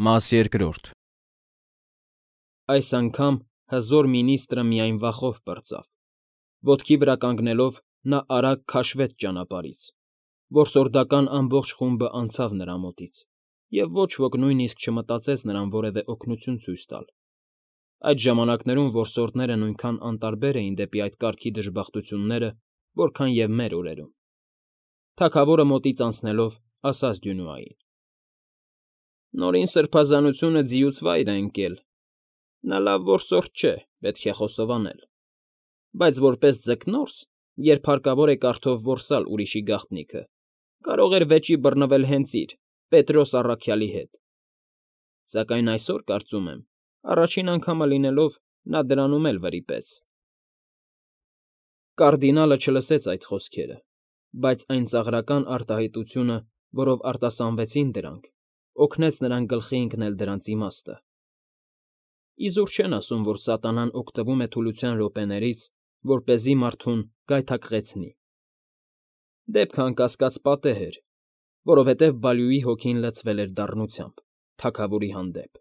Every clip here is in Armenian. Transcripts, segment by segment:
Մաս երկրորդ Այս անգամ հզոր մինիստրը միայն վախով պրծավ. ոտքի վրա կանգնելով նա արագ քաշվեց ճանապարհից, որսորդական ամբողջ խումբը անցավ նրա մոտից, և ոչ ոք նույնիսկ չմտածեց նրան որևէ օգնություն ցույց տալ. այդ ժամանակներում որսորդները նույնքան անտարբեր էին դեպի այդ կարգի դժբախտությունները, որքան և մեր օրերում. թագավորը մոտից անցնելով ասաց Դյունուային. Նորին սրբազանությունը ձիուց վայր է ընկել. նա լավ որսորդ չէ, պետք է խոստովանել, բայց որպես ձկնորս, երբ հարկավոր է կարդով որսալ ուրիշի գաղտնիքը, կարող էր վեճի բռնվել հենց իր՝ Պետրոս առաքյալի հետ. սակայն այսօր, կարծում եմ, առաջին անգամը լինելով, նա դրանում էլ վրիպեց։ Կարդինալը չլսեց այդ խոսքերը, բայց այն ծաղրական արտահայտությունը, որով արտասանվեցին դրանք, օգնեց նրան գլխի ընկնել դրանց իմաստը։ Իզուր չեն ասում, որ սատանան օգտվում է թուլության րոպեներից, որպեսզի մարդուն գայթակղեցնի։ Դեպքը անկասկած պատեհ էր, որովհետև Բալյուի հոգին լցվել էր դառնությամբ, թագավորի հանդեպ։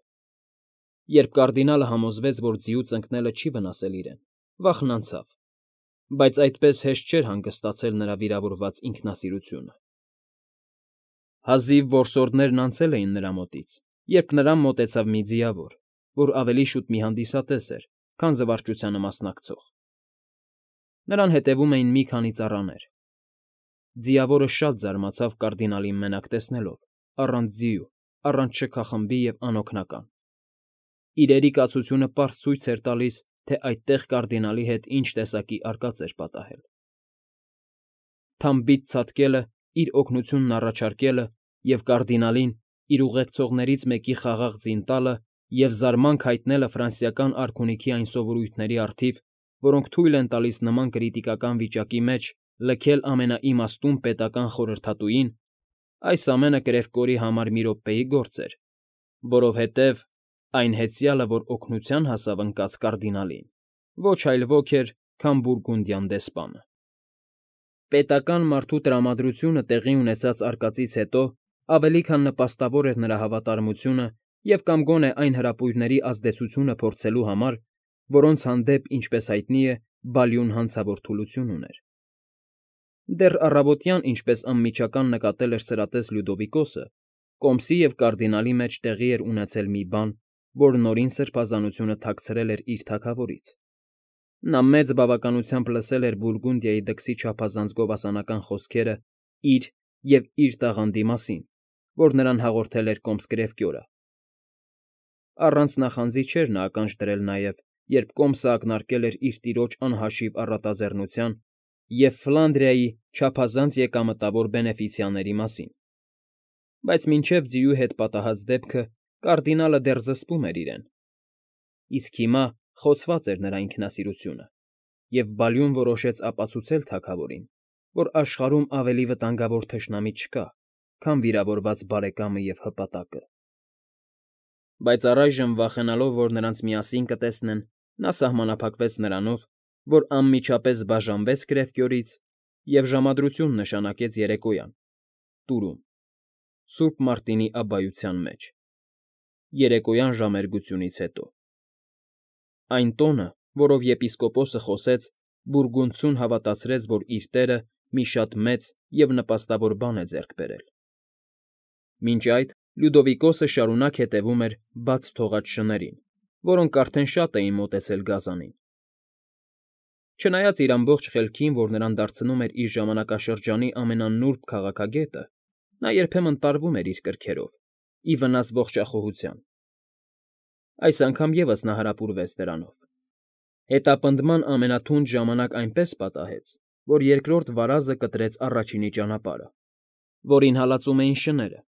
Երբ կարդինալը համոզվեց, որ ձիուց ընկնելը չի վնասել իրեն, վախն անցավ, բայց այդպես հեշտ չէր հանգստացել նրա վիրավորված ինքնասիրությունը։ Հազիվ որսորդներն անցել էին նրա մոտից, երբ նրան մոտեցավ մի ձիավոր, որ ավելի շուտ մի հանդիսատես էր, քան զվարճությանը մասնակցող։ Նրան հետևում էին մի քանի ծառաներ։ Ձիավորը շատ զարմացավ կարդինալին մենակ տեսնելով, առանց ձիու, առանց շքախմբի և անօգնական։ Իրերի կացությունը պարզ ցույց էր տալիս, թե այդտեղ կարդինալի հետ ինչ տեսակի արկած էր պատահել։ Թամբից ցատկելը, իր օգնությունն առաջարկելը և կարդինալին, իր ուղեկցողներից մեկի խաղաղ ձին տալը և զարմանք հայտնելը ֆրանսիական արքունիքի այն սովորույթների առթիվ, որոնք թույլ են տալիս նման կրիտիկական վիճակի մեջ լքել ամենաիմաստուն պետական խորհրդատուին, այս ամենը կրևկորի համար մի րոպեի գործ էր, որովհետև այն հեծյալը, որ օգնության հասավ ընկած կարդինալին, ոչ այլ ոք էր, քան բուրգունդյան դեսպանը։ Պետական մարդու տրամադրությունը տեղի ունեցած արկածից հետո ավելի քան նպաստավոր էր նրա հավատարմությունը և կամ գոնե այն հրապույրների ազդեցությունը փորձելու համար, որոնց հանդեպ, ինչպես հայտնի է, Բալյուն հանցավոր թուլություն ուներ։ Դեռ առավոտյան, ինչպես անմիջական նկատել էր սրատես Լյուդովիկոսը, կոմսի և կարդինալի մեջ տեղի էր ունեցել մի բան, որ նորին սրբազանությունը թաքցրել էր իր թագավորից։ Նա մեծ բավականությամբ լսել էր Բուրգունդիայի դքսի չափազանց գովասանական խոսքերը իր և իր տաղանդի մասին, որ նրան հաղորդել էր կոմս֊կրևկյորը։ Առանց նախանձի չէր նա ականջ դրել նաև, երբ կոմսը ակնարկել էր իր տիրոջ անհաշիվ առատաձեռնության և Ֆլանդրիայի չափազանց եկամտավոր բենեֆիցիաների մասին։ Բայց մինչև ձիու հետ պատահած դեպքը կարդինալը դեռ զսպում էր իրեն։ Իսկ հիմա խոցված էր նրա ինքնասիրությունը, և Բալյուն որոշեց ապացուցել թագավորին, որ աշխարհում ավելի վտանգավոր թշնամի չկա, քան վիրավորված բարեկամը և հպատակը։ Բայց առայժմ, վախենալով, որ նրանց միասին կտեսնեն, նա սահմանափակվեց նրանով, որ անմիջապես բաժանվեց Կրևկյորից և ժամադրություն նշանակեց երեկոյան, Տուրում, Սուրբ Մարտինի абբայության մեջ, երեկոյան ժամերգությունից հետո։ Այն տոնը, որով եպիսկոպոսը խոսեց, բուրգունդցուն հավատացրեց, որ իր տերը մի շատ մեծ և նպաստավոր բան է ձեռք բերել։ Մինչ այդ Լյուդովիկոսը շարունակ հետևում էր բաց թողած շներին, որոնք արդեն շատ էին մոտեցել գազանին։ Չնայած իր ամբողջ խելքին, որ նրան դարձնում էր իր ժամանակաշրջանի ամենանուրբ քաղաքագետը, նա երբեմն տարվում էր իր կրքերով, ի վնաս ողջախոհության։ Այս անգամ ևս նա հարապուրվեց դրանով։ Հետապնդման ամենաթունդ ժամանակ այնպես պատահեց, որ երկրորդ վարազը կտրեց առաջինի ճանապարհը, որին հալածում էին շները,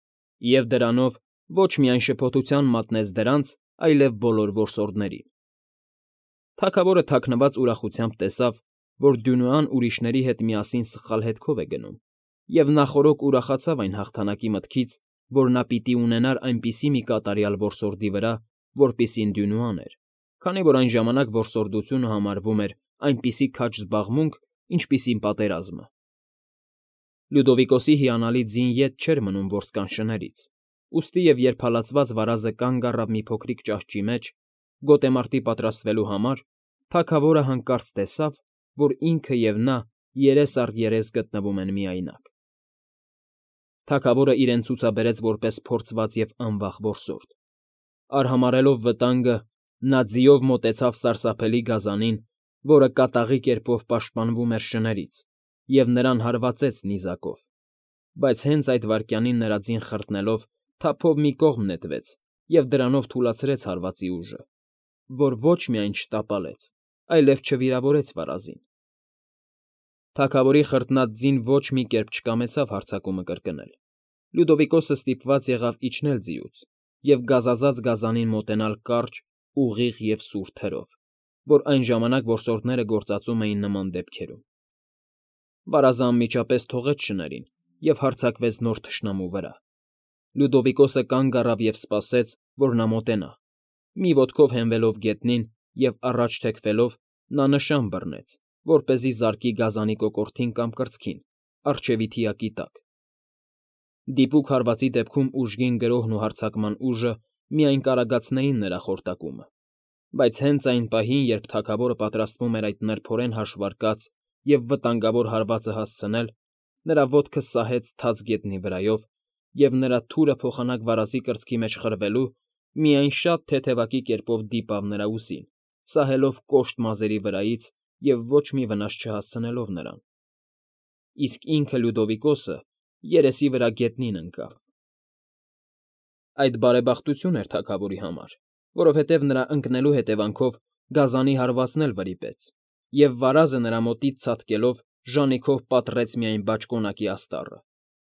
և դրանով ոչ միայն շփոթության մատնեց դրանց, այլև բոլոր որսորդներին։ Թագավորը թաքնված ուրախությամբ տեսավ, որ Դյունուան ուրիշների հետ միասին սխալ հետքով է գնում, և նախօրոք ուրախացավ այն հաղթանակի մտքից, որ նա պիտի ունենար այնպիսի մի կատարյալ որսորդի վրա, որպիսին Դյունուան էր, քանի որ այն ժամանակ որսորդությունը համարվում էր այնպիսի քաջ զբաղմունք, ինչպիսին պատերազմը։ Լյուդովիկոսի հիանալի ձին ետ չէր մնում որսկան շներից, Ուստի և երբ հալածված վարազը կանգ առավ մի փոքրիկ ճահճի մեջ, գոտեմարտի պատրաստվելու համար, թագավորը հանկարծ տեսավ, որ ինքը և նա երես առ երես գտնվում են միայնակ։ Թագավորը իրեն ցուցաբերեց որպես փորձված և անվախ որսորդ։ Արհամարհելով վտանգը, նա ձիով մոտեցավ սարսափելի գազանին, որը կատաղի կերպով պաշտպանվում էր շներից, և նրան հարվածեց նիզակով, բայց հենց այդ վայրկյանին նրա ձին խրտնելով, թափով մի կողմ նետվեց և դրանով թուլացրեց հարվածի ուժը, որ ոչ միայն չտապալեց, այլև չվիրավորեց վարազին։ Թագավորի խրտնած ձին ոչ մի կերպ չկամեցավ հարձակումը կրկնել։ Լյուդովիկոսը ստիպված եղավ իջնել ձիուց և գազազած գազանին մոտենալ կարճ, ուղիղ և սուր թրով, որ այն ժամանակ որսորդները գործածում էին նման դեպքերում։ Վարազը անմիջապես թողեց շներին և հարձակվեց նոր թշնամու վրա։ Լյուդովիկոսը կանգ առավ և սպասեց, որ նա մոտենա։ Մի ոտքով հենվելով գետնին և առաջ թեքվելով՝ նա նշան բռնեց, որպեսզի զարկի գազանի կոկորդին կամ կրծքին, առջևի թիակի տակ։ Դիպուկ հարվածի դեպքում ուժգին գրոհն ու հարձակման ուժը միայն կարագացնեին նրա խորտակումը, բայց հենց այն պահին, երբ թագավորը պատրաստվում էր այդ նրբորեն հաշվարկած և վտանգավոր հարվածը հասցնել, նրա ոտքը սահեց թաց գետնի վրայով, և նրա թուրը փոխանակ վարազի կրծքի մեջ խրվելու, միայն շատ թեթևակի կերպով դիպավ նրա ուսին, սահելով կոշտ մազերի վրայից և ոչ մի վնաս չհասցնելով նրան։ Իսկ ինքը Լյուդովիկոսը երեսի վրա գետնին ընկավ։ Այդ բարեբախտություն էր թագավորի համար, որովհետև նրա ընկնելու հետևանքով գազանի հարվածն էլ վրիպեց, և վարազը նրա մոտից ցատկելով ժանիքով պատռեց միայն բաճկոնակի աստառը,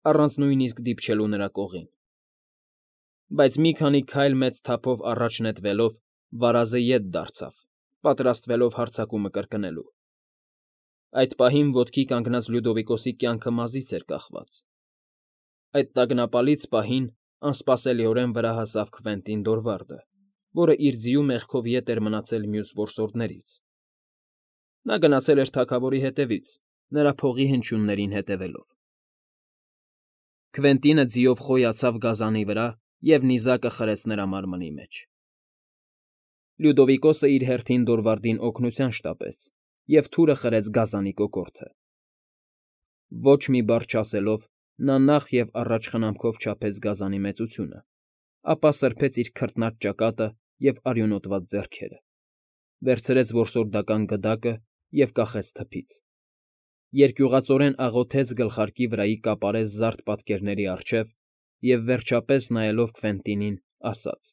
առանց նույնիսկ դիպչելու նրա կողին։ Բայց մի քանի քայլ մեծ թափով առաջ նետվելով՝ վարազը ետ դարձավ, պատրաստվելով հարձակումը կրկնելու։ Այդ պահին ոտքի կանգնած Լյուդովիկոսի կյանքը մազից էր կախված։ Այդ տագնապալից պահին անսպասելիորեն վրա հասավ Քվենտին Դորվարդը, որը իր ձիու մեղքով ետ էր մնացել մյուս որսորդներից։ Նա գնացել էր թագավորի հետևից, նրա փողի հնչյուններին հետևելով։ Քվենտինը ձիով խոյացավ գազանի վրա և նիզակը խրեց նրա մարմնի մեջ։ Լյուդովիկոսը իր հերթին Դորվարդին օգնության շտապեց և թուրը խրեց գազանի կոկորդը։ Ոչ մի բառ չասելով, նա նախ և առաջ խնամքով չափեց գազանի մեծությունը, ապա սրբեց իր քրտնած ճակատը և արյունոտված ձեռքերը, վերցրեց որսորդական գդակը և կախեց թփից, երկյուղածորեն աղոթեց գլխարկի վրայի կապարես զարդ պատկերների առջև և, վերջապես, նայելով Քվենտինին, ասաց.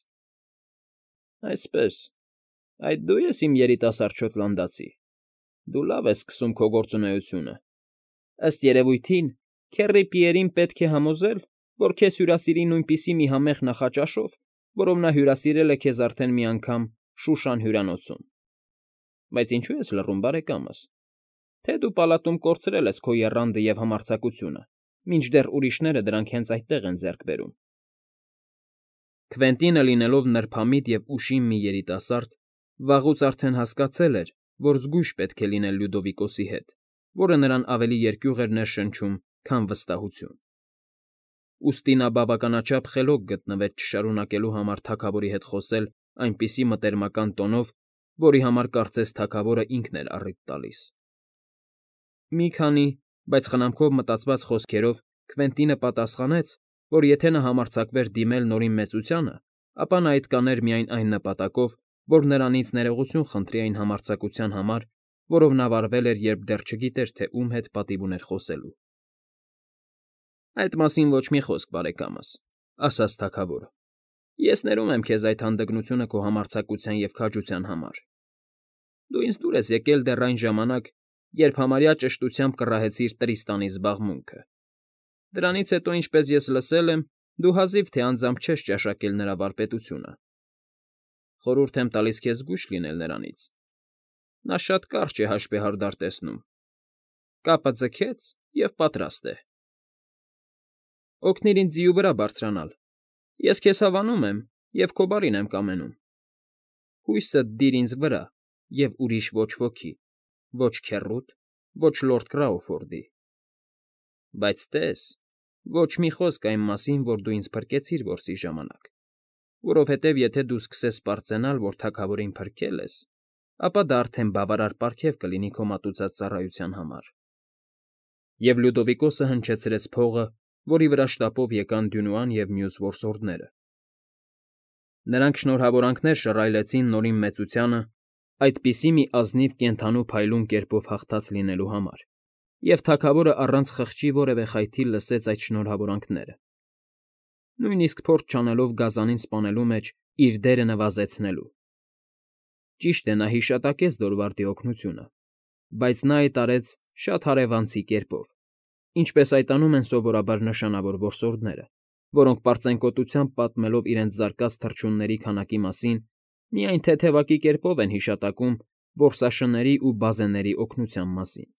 «Այսպես, այդ դու ես իմ երիտասարդ շոտլանդացի, դու լավ ես սկսում քո գործունեությունը։ Ըստ երևույթին, քեռի Պիերին պետք է համոզել, որ քեզ հյուրասիրի նույնպիսի մի համեղ նախաճաշով, որով նա հյուրասիրել է քեզ արդեն մի անգամ Շուշան հյուրանոցում։ Բայց ինչո՞ւ ես լռում, բարեկամս, թե դու պալատում կորցրել ես քո եռանդը և համարձակությունը, մինչդեռ ուրիշները դրանք հենց այդտեղ են ձեռք բերում»։ Քվենտինը, լինելով նրբամիտ և ուշիմ մի երիտասարդ, վաղուց արդեն հասկացել էր, որ զգույշ պետք է լինել Լյուդովիկոսի հետ, որը նրան ավելի երկյուղ էր ներշնչում, քան վստահություն։ Ուստի նա բավականաչափ խելոք գտնվեց չշարունակելու համար թագավորի հետ խոսել այնպիսի մտերմական տոնով, որի համար կարծես թագավորը ինքն էր առիթ տալիս։ Մի քանի, բայց խնամքով մտածված խոսքերով Քվենտինը պատասխանեց, որ եթե նա համարձակվեր դիմել Նորին Մեծությանը, ապա նա այդ կաներ միայն այն նպատակով, որ նրանից ներողություն խնդրի այն համարձակության համար, որով նա վարվել էր, երբ դեռ չգիտեր, թե ում հետ պատիվ ուներ խոսելու։ «Այդ մասին ոչ մի խոսք, բարեկամս,֊ ասաց թագավորը։ Ես ներում եմ քեզ այդ հանդգնությունը քո համարձակության և քաջության համար։ Դու ինձ դուր ես եկել դեռ այն ժամանակ, երբ համարյա ճշտությամբ կռահեցիր Տրիստանի զբաղմունքը։ Դրանից հետո, ինչպես ես լսել եմ, դու հազիվ թե անձամբ չես ճաշակել նրա վարպետությունը։ Խորհուրդ եմ տալիս քեզ զգույշ լինել նրանից. նա շատ կարճ է հաշվեհարդար տեսնում։ Կապը ձգեց և պատրաստ է։ Օգնիր ինձ ձիու վրա բարձրանալ։ Ես քեզ հավանում եմ և քո բարին եմ կամենում։ Հույսդ դիր ինձ վրա և ուրիշ ոչ ոքի, ոչ քեռուդ, ոչ լորդ Կրաուֆորդի։ Բայց տես, Ոչ մի խոսք այն մասին, որ դու ինձ փրկեցիր որսի ժամանակ, որովհետև եթե դու սկսես պարծենալ, որ թագավորին փրկել ես, ապա դա արդեն բավարար պարգև կլինի քո մատուցած ծառայության համար։ Եվ Լյուդովիկոսը հնչեցրեց փողը, որի վրա շտապով եկան Դյունուան և մյուս որսորդները։ Նրանք շնորհավորանքներ շռայլեցին Նորին մեծությանը այդպիսի մի ազնիվ կենդանու փայլուն կերպով հաղթած լինելու համար, և թագավորը առանց խղճի որևէ խայթի լսեց այդ շնորհավորանքները, նույնիսկ փորձ չանելով գազանին սպանելու մեջ իր դերը նվազեցնելու։ Ճիշտ է, նա հիշատակեց Դորվարդի օգնությունը, բայց նա այդ արեց շատ հարևանցի կերպով, ինչպես այդ անում են սովորաբար նշանավոր որսորդները, որոնք պարծենկոտությամբ պատմելով իրենց զարկած թռչունների քանակի մասին, միայն թեթևակի կերպով են հիշատակում որսաշների ու բազեների օգնության մասին։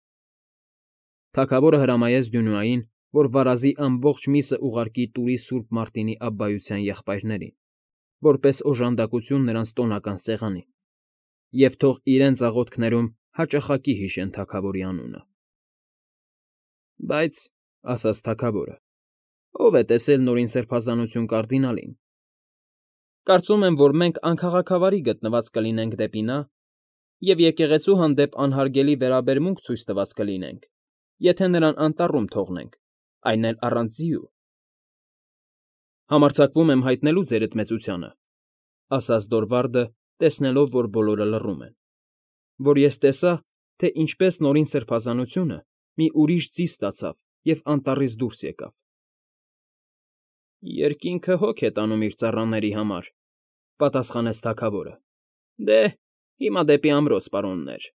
Թագավորը հրամայեց Դյունուային, որ վարազի ամբողջ միսը ուղարկի Տուրի Սուրբ Մարտինի Աբբայության եղբայրներին, որպես օժանդակություն նրանց տոնական սեղանին, և թող իրենց աղոթքներում հաճախակի հիշեն թագավորի անունը։ Բայց, ասաց թագավորը, ո՞վ է տեսել Նորին Սրբազանություն կարդինալին։ Կարծում եմ, որ մենք անքաղաքավարի գտնված կլինենք դեպի նա և եկեղեցու հանդեպ անհարգելի վերաբերմունք ցույց տված կլինենք, եթե նրան անտառում թողնենք, այն էլ առանց ձիու։ Համարձակվում եմ հայտնելու ձերդ մեծությանը, ասաց Դորվարդը, տեսնելով, որ բոլորը լռում են, որ ես տեսա, թե ինչպես Նորին Սրբազանությունը մի ուրիշ ձի ստացավ և անտառից դուրս եկավ։ Երկինքը հոգ է տանում իր ծառաների համար, պատասխանեց թագավորը։ Դե, հիմա դեպի ամրոց, պարոններ։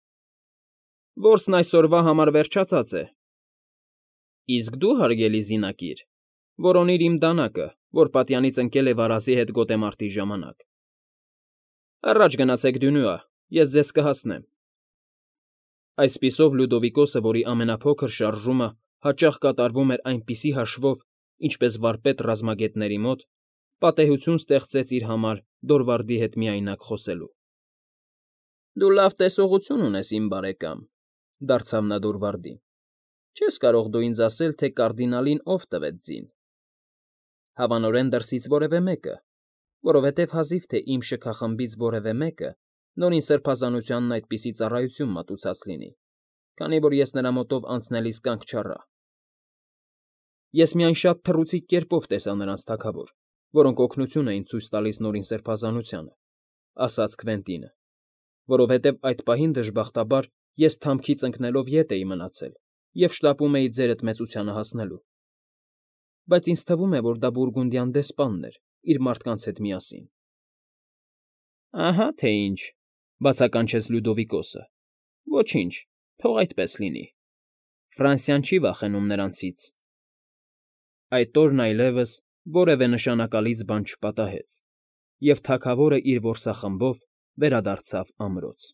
Որսն այսօրվա համար վերջացած է։ Իսկ դու, հարգելի զինակիր, որոնիր իմ դանակը, որ պատյանից ընկել է վարազի հետ գոտեմարտի ժամանակ։ Առաջ գնացեք Դյունուա, ես ձեզ կհասնեմ։ Այսպիսով Լյուդովիկոսը, որի ամենափոքր շարժումը հաճախ կատարվում էր այնպիսի հաշվով, ինչպես վարպետ ռազմագետների մոտ, պատեհություն ստեղծեց իր համար Դորվարդի հետ միայնակ խոսելու։ Դու լավ տեսողություն ունես, իմ բարեկամ, դարձավ նա Դորվարդին։ Չես կարող դու ինձ ասել, թե կարդինալին ով տվեց ձին։ Հավանորեն դրսից որևէ մեկը, որովհետև հազիվ թե իմ շքախմբից որևէ մեկը Նորին Սրբազանությանն այդպիսի ծառայություն մատուցած լինի, քանի որ ես նրա մոտով անցնելիս կանգ չառա։ Ես միայն շատ թռուցիկ կերպով տեսա նրանց թագավոր, որոնք օգնություն էին ցույց տալիս Նորին Սրբազանությանը, ասաց Քվենտինը, որովհետև այդ պահին դժբախտաբար ես թամքից ընկնելով ետ էի մնացել և շտապում էի ձերդ մեծությանը հասնելու։ Բայց ինձ թվում է, որ դա բուրգունդյան դեսպանն էր իր մարդկանց հետ միասին։ Ահա թե ինչ, բացականչեց Լյուդովիկոսը։ Ոչինչ, թող այդպես լինի։ Ֆրանսիան չի վախենում նրանցից։ Այդ օրն այլևս որևէ նշանակալից բան չպատահեց, և թագավորը իր որսախմբով վերադարձավ ամրոց։